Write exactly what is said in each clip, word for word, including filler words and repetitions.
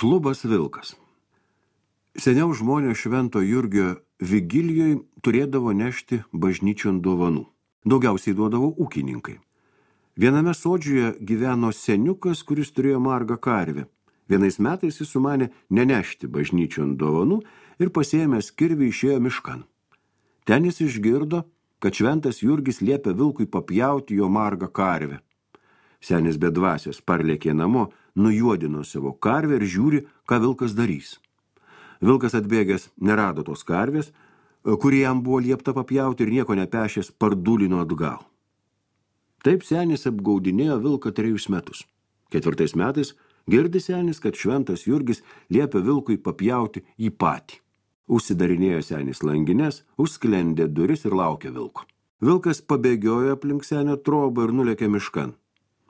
Šlubas vilkas. Seniau žmonės Švento Jurgio vigilijoj turėdavo nešti bažnyčion dovanų. Daugiausiai duodavo ūkininkai. Viename sodžiuje gyveno seniukas, kuris turėjo margą karvę. Vienais metais jis sumanė nenešti bažnyčion dovanų ir pasiėmęs kirvį išėjo miškan. Ten jis išgirdo, kad Šventas Jurgis liepia vilkui papjauti jo margą karvę. Senis bedvasias parlėkė namo, nujuodino savo karvę ir žiūri, ką vilkas darys. Vilkas atbėgęs nerado tos karvės, kuri jam buvo liepta papjauti ir nieko nepešęs pardulino atgal. Taip senis apgaudinėjo vilką trejus metus. Ketvirtais metais girdi senis, kad Šventas Jurgis liepia vilkui papjauti jį patį. Užsidarinėjo senis langines, užsklendė duris ir laukė vilko. Vilkas pabėgiojo aplink senio trobą ir nulėkė miškan.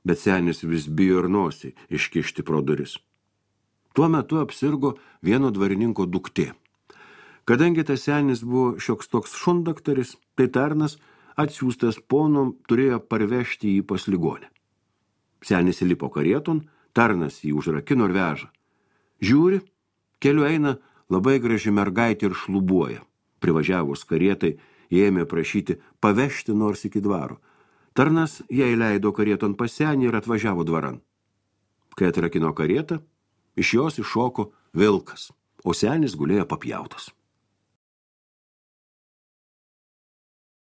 Bet senis vis bijo ir nosį iškišti pro duris. Tuo metu apsirgo vieno dvarininko duktė. Kadangi tas senis buvo šioks toks šundaktaris, tai tarnas atsiųstas ponom turėjo parvežti jį pas ligonę. Senis įlipo karieton, tarnas jį užrakino ir veža. Žiūri, keliu eina labai graži mergaitė ir šlubuoja. Privažiavus karietai, jie ėmė prašyti pavežti nors iki dvaro. Tarnas jai leido karieton pas senį ir atvažiavo dvaran. Kai atrakino karietą, iš jos iššoko vilkas, o senis gulėjo papjautas.